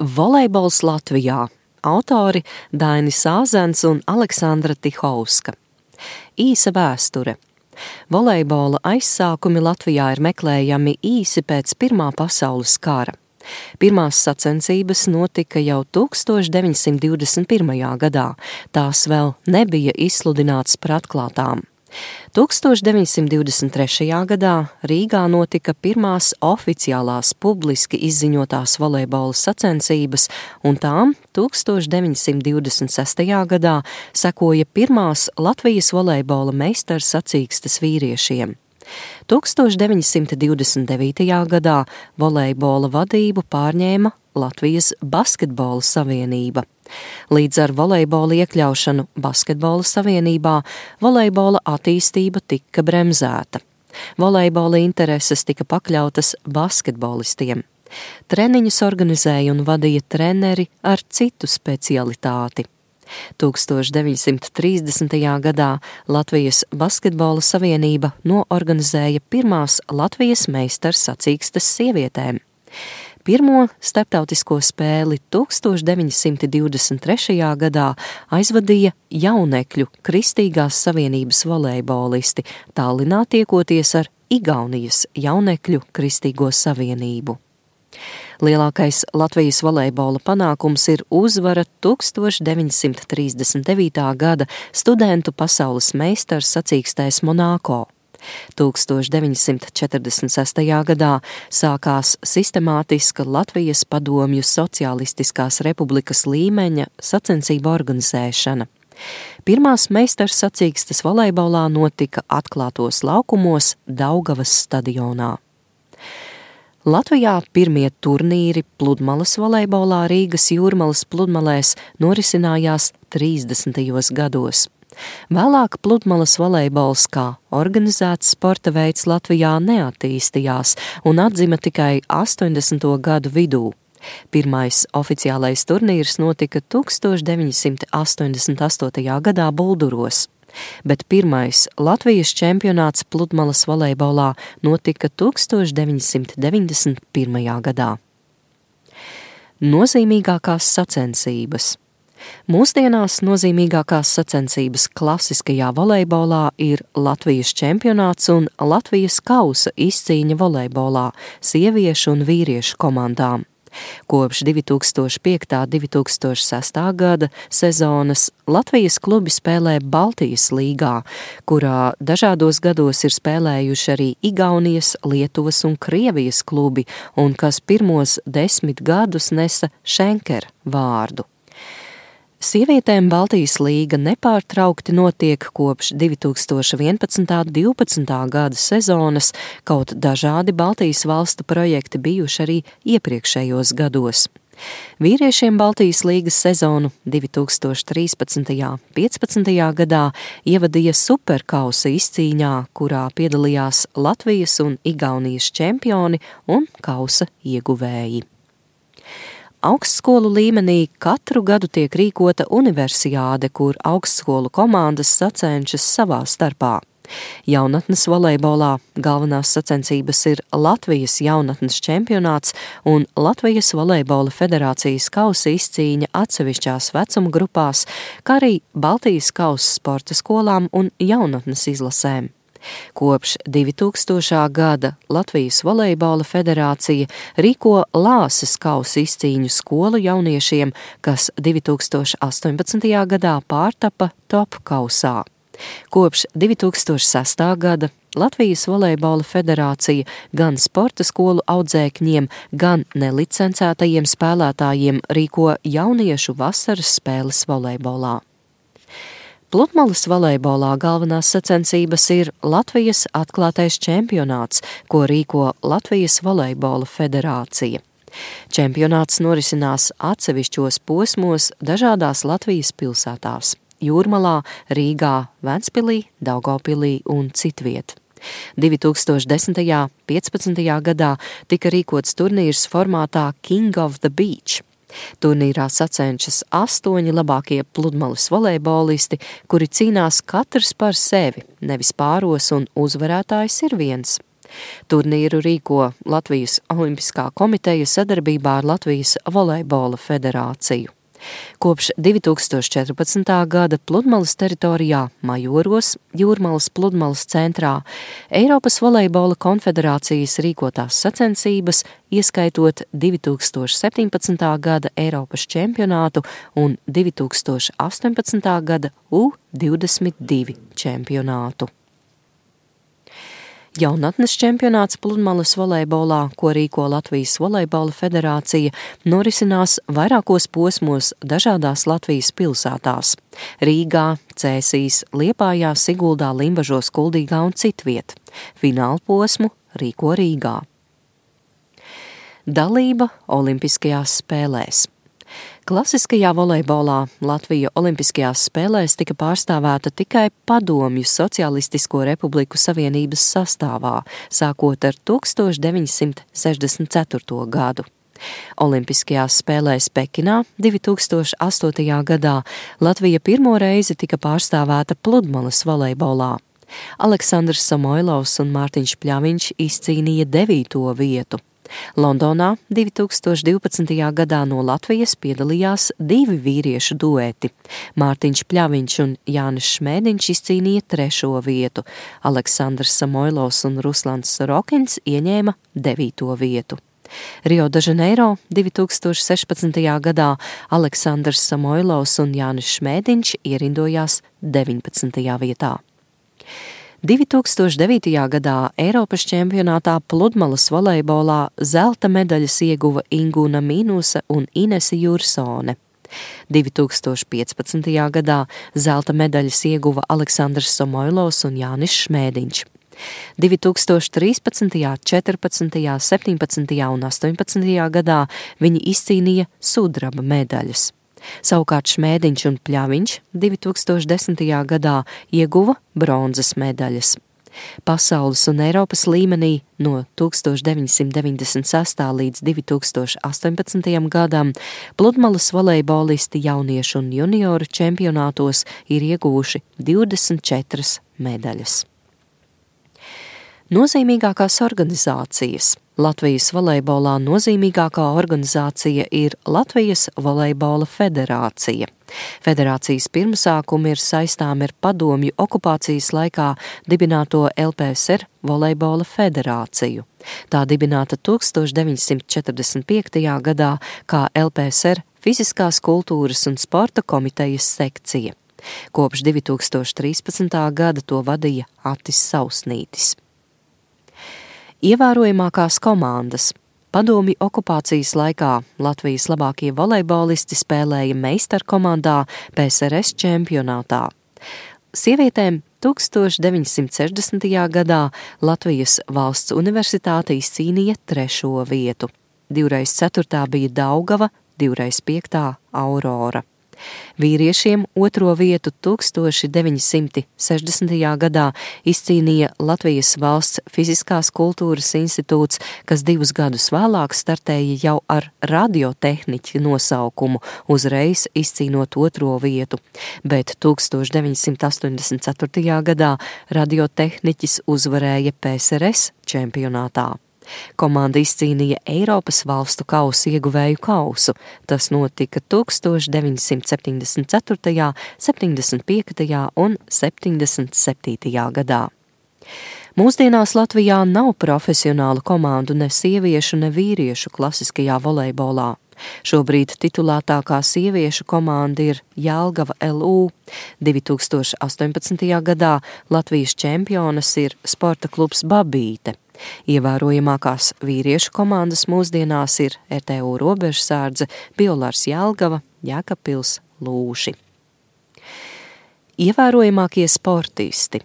Volejbols Latvijā. Autori Dainis Āzens un Aleksandra Tihovska. Īsa vēsture. Volejbola aizsākumi Latvijā ir meklējami īsi pēc Pirmā pasaules kara. Pirmās sacensības notika jau 1921. gadā, tās vēl nebija izsludinātas par atklātām. 1923. gadā Rīgā notika pirmās oficiālās publiski izziņotās volejbola sacensības, un tām 1926. gadā sekoja pirmās Latvijas volejbola meistarsacīkstes vīriešiem. 1929. gadā volejbola vadību pārņēma Latvijas basketbola savienība. Līdz ar volejbola iekļaušanu basketbola savienībā volejbola attīstība tika bremzēta. Volejbola intereses tika pakļautas basketbolistiem. Treniņus organizēja un vadīja treneri ar citu specialitāti. 1930. gadā Latvijas basketbola savienība noorganizēja pirmās Latvijas meistarsacīkstes sievietēm. Pirmo starptautisko spēli 1923. gadā aizvadīja jaunekļu Kristīgās savienības volejbolisti, Tallinā tiekoties ar Igaunijas jaunekļu Kristīgo savienību. Lielākais Latvijas volejbola panākums ir uzvara 1939. gada studentu pasaules meistarsacīkstēs Monako. 1946. gadā sākās sistemātiska Latvijas padomju Socialistiskās republikas līmeņa sacensību organizēšana. Pirmās meistarsacīkstes volejbolā notika atklātos laukumos Daugavas stadionā. Latvijā pirmie turnīri pludmales volejbolā Rīgas Jūrmalas pludmalēs norisinājās 30. gados. Vēlāk pludmales volejbols kā organizēts sporta veids Latvijā neattīstījās un atzima tikai 80. gadu vidū. Pirmais oficiālais turnīrs notika 1988. gadā Bulduros, bet pirmais Latvijas čempionāts pludmales volejbolā notika 1991. gadā. Nozīmīgākās sacensības. Mūsdienās nozīmīgākās sacensības klasiskajā volejbolā ir Latvijas čempionāts un Latvijas kausa izcīņa volejbolā sieviešu un vīriešu komandām. Kopš 2005.–2006. gada sezonas Latvijas klubi spēlē Baltijas līgā, kurā dažādos gados ir spēlējuši arī Igaunijas, Lietuvas un Krievijas klubi, un kas pirmos 10 gadus nesa Schenker vārdu. Sievietēm Baltijas līga nepārtraukti notiek kopš 2011.–12. gada sezonas, kaut dažādi Baltijas valstu projekti bijuši arī iepriekšējos gados. Vīriešiem Baltijas līgas sezonu 2013.–15. gadā ievadīja superkausa izcīņā, kurā piedalījās Latvijas un Igaunijas čempioni un kausa ieguvēji. Augstskolu līmenī katru gadu tiek rīkota universiāde, kur augstskolu komandas sacenšas savā starpā. Jaunatnes volejbolā galvenās sacensības ir Latvijas jaunatnes čempionāts un Latvijas volejbola federācijas kausa izcīņa atsevišķās vecuma grupās, kā arī Baltijas kausa sporta skolām un jaunatnes izlasēm. Kopš 2000. gada Latvijas volejbola federācija rīko Lāses kausa izcīņu skolu jauniešiem, kas 2018. gadā pārtapa top kausā. Kopš 2006. gada Latvijas volejbola federācija gan sporta skolu audzēkņiem, gan nelicencētajiem spēlētājiem rīko jauniešu vasaras spēles volejbolā. Pludmales volejbolā galvenās sacensības ir Latvijas atklātais čempionāts, ko rīko Latvijas volejbola federācija. Čempionāts norisinās atsevišķos posmos dažādās Latvijas pilsētās – Jūrmalā, Rīgā, Ventspilī, Daugavpilī un citviet. 2010. 15. gadā tika rīkots turnīrs formātā King of the Beach. Turnīrā sacenšas 8 labākie pludmales volejbolisti, kuri cīnās katrs par sevi, nevis pāros, un uzvarētājs ir viens. Turnīru rīko Latvijas Olimpiskā komiteja sadarbībā ar Latvijas volejbola federāciju. Kopš 2014. gada Pludmalas teritorijā Majoros, Jūrmalas Pludmalas centrā, Eiropas volejbola konfederācijas rīkotās sacensības, ieskaitot 2017. gada Eiropas čempionātu un 2018. gada U22 čempionātu. Jaunatnes čempionāts Pludmalas volejbolā, ko rīko Latvijas volejbola federācija, norisinās vairākos posmos dažādās Latvijas pilsētās – Rīgā, Cēsīs, Liepājā, Siguldā, Limbažos, Kuldīgā un citviet. Fināla posmu rīko Rīgā. Dalība Olimpiskajās spēlēs. Klasiskajā volejbolā Latvija Olimpiskajās spēlēs tika pārstāvēta tikai Padomju Socialistisko Republiku Savienības sastāvā, sākot ar 1964. gadu. Olimpiskajās spēlēs Pekinā 2008. gadā Latvija pirmo reizi tika pārstāvēta Pludmalas volejbolā. Aleksandrs Samoilovs un Mārtiņš Pļaviņš izcīnīja 9. vietu. Londonā 2012. gadā no Latvijas piedalījās 2 vīriešu dueti. Mārtiņš Pļaviņš un Jānis Šmēdiņš izcīnīja 3. vietu. Aleksandrs Samoilovs un Ruslans Sorokins ieņēma 9. vietu. Rio de Janeiro 2016. gadā Aleksandrs Samoilovs un Jānis Šmēdiņš ierindojās 19. vietā. 2009. gadā Eiropas čempionātā Pludmalas volejbolā zelta medaļas ieguva Ingūna Mīnusa un Inese Jursone. 2015. gadā zelta medaļas ieguva Aleksandrs Samoilovs un Jānis Šmēdiņš. 2013., 14., 17. un 18. gadā viņi izcīnīja sudraba medaļas. Savukārt Šmēdiņš un Pļaviņš 2010. gadā ieguva bronzas medaļas. Pasaules un Eiropas līmenī no 1996. līdz 2018. gadam Pludmalas volejbolisti jauniešu un junioru čempionātos ir ieguvuši 24 medaļas. Nozīmīgākās organizācijas. Latvijas volejbolā nozīmīgākā organizācija ir Latvijas volejbola federācija. Federācijas pirmsākumi ir saistāmi ar Padomju okupācijas laikā dibināto LPSR volejbola federāciju. Tā dibināta 1945. gadā kā LPSR Fiziskās kultūras un sporta komitejas sekcija. Kopš 2013. gada to vadīja Atis Sausnītis. Ievērojamākās komandas. Padomju okupācijas laikā Latvijas labākie volejbolisti spēlēja meistarkomandā PSRS čempionātā. Sievietēm 1960. gadā Latvijas valsts universitāte izcīnīja 3. vietu. 2x4 bija Daugava, 2x5 Aurora. Vīriešiem 2. vietu 1960. gadā izcīnīja Latvijas valsts Fiziskās kultūras institūts, kas 2 gadus vēlāk startēja jau ar radiotehniķa nosaukumu, uzreiz izcīnot 2. vietu, bet 1984. gadā radiotehniķis uzvarēja PSRS čempionātā. Komanda izcīnīja Eiropas valstu kausa ieguvēju kausu. Tas notika 1974., 75. un 77. gadā. Mūsdienās Latvijā nav profesionālu komandu ne sieviešu, ne vīriešu klasiskajā volejbolā. Šobrīd titulētākā sieviešu komanda ir Jelgava LU. 2018. gadā Latvijas čempionas ir sporta klubs Babīte. Ievērojamākās vīriešu komandas mūsdienās ir RTU Robežsardze, Biolārs Jelgava, Jēkabpils, Lūši. Ievērojamākie sportisti.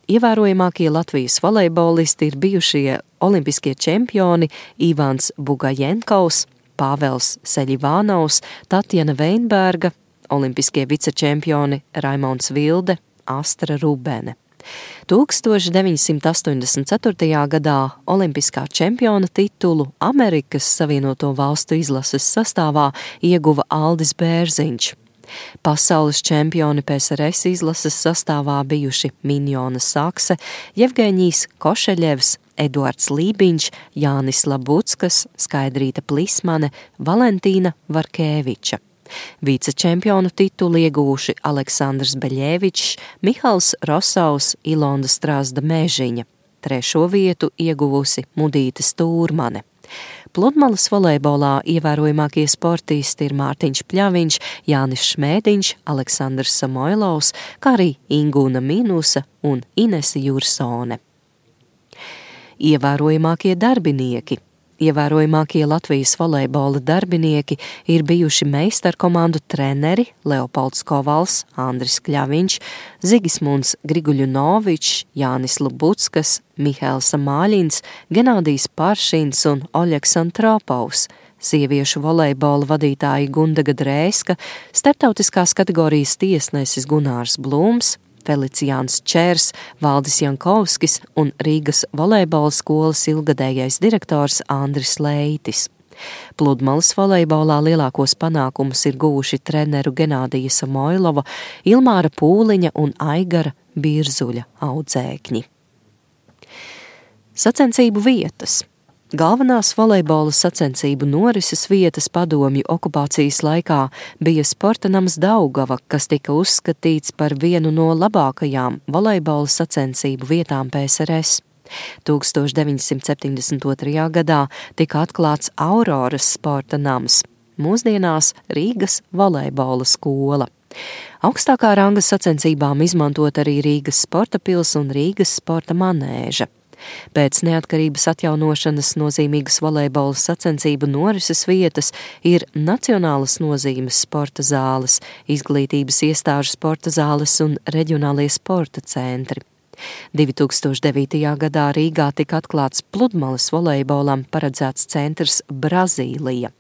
Ievērojamākie Latvijas volejbolisti ir bijušie olimpiskie čempioni Ivans Bugajenkovs, Pāvels Seļivānovs, Tatjana Veinberga, olimpiskie vicečempioni Raimons Vilde, Astra Rubene. 1984. gadā olimpiskā čempiona titulu Amerikas Savienoto Valstu izlases sastāvā ieguva Aldis Bērziņš. Pasaules čempioni PSRS izlases sastāvā bijuši Minjona Sakse, Jevgeņijs Košeļevs, Eduards Lībiņš, Jānis Labuckas, Skaidrīta Plismane, Valentīna Varkēviča. Vicečempionu titulu ieguvuši Aleksandrs Beļevičs, Mihals Rosaus, Ilonda Strāzda Mežiņa. 3. vietu ieguvusi Mudīte Stūrmane. Pludmalas volejbolā ievērojamākie sportisti ir Mārtiņš Pļaviņš, Jānis Šmēdiņš, Aleksandrs Samoilovs, kā arī Ingūna Minusa un Inese Jursone. Ievērojamākie darbinieki. Ievērojamākie Latvijas volejbola darbinieki ir bijuši meistarkomandu treneri Leopolds Kovals, Andris Kļaviņš, Zigismunds Griguļunovičs, Jānis Lubuckas, Mihails Māļins, Genādijs Paršins un Oļegs Antropovs, sieviešu volejbola vadītāji Gundaga Drēska, starptautiskās kategorijas tiesnesis Gunārs Blūms, Feliciāns Čērs, Valdis Jankovskis un Rīgas volejbola skolas ilgadējais direktors Andris Leitis. Pludmalas volejbolā lielākos panākumus ir guvuši treneru Genādija Samoilova, Ilmāra Pūliņa un Aigara Birzuļa audzēkņi. Sacensību vietas. Galvenās volejbola sacensību norises vietas padomju okupācijas laikā bija sporta nams Daugava, kas tika uzskatīts par vienu no labākajām volejbola sacensību vietām PSRS. 1972. gadā tika atklāts Auroras sporta nams, mūsdienās Rīgas volejbola skola. Augstākā ranga sacensībām izmantot arī Rīgas sporta pils un Rīgas sporta manēža. Pēc neatkarības atjaunošanas nozīmīgas volejbola sacensību norises vietas ir nacionālas nozīmes sporta zāles, izglītības iestāžu sporta zāles un reģionālie sporta centri. 2009. gadā Rīgā tika atklāts pludmalas volejbolam paredzēts centrs Brazīlija.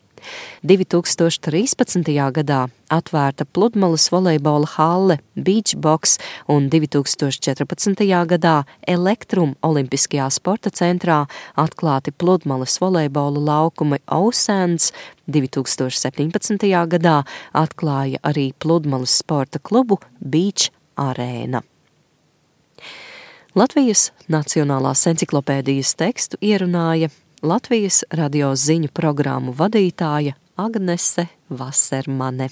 2013. gadā atvērta pludmalas volejbola halle Beach Box un 2014. gadā Elektrum Olimpiskajā sporta centrā atklāti pludmalas volejbola laukumi Osands, 2017. gadā atklāja arī pludmalas sporta klubu Beach Arēna. Latvijas Nacionālās enciklopēdijas tekstu ierunāja Latvijas radio ziņu programmu vadītāja Agnese Vasermane.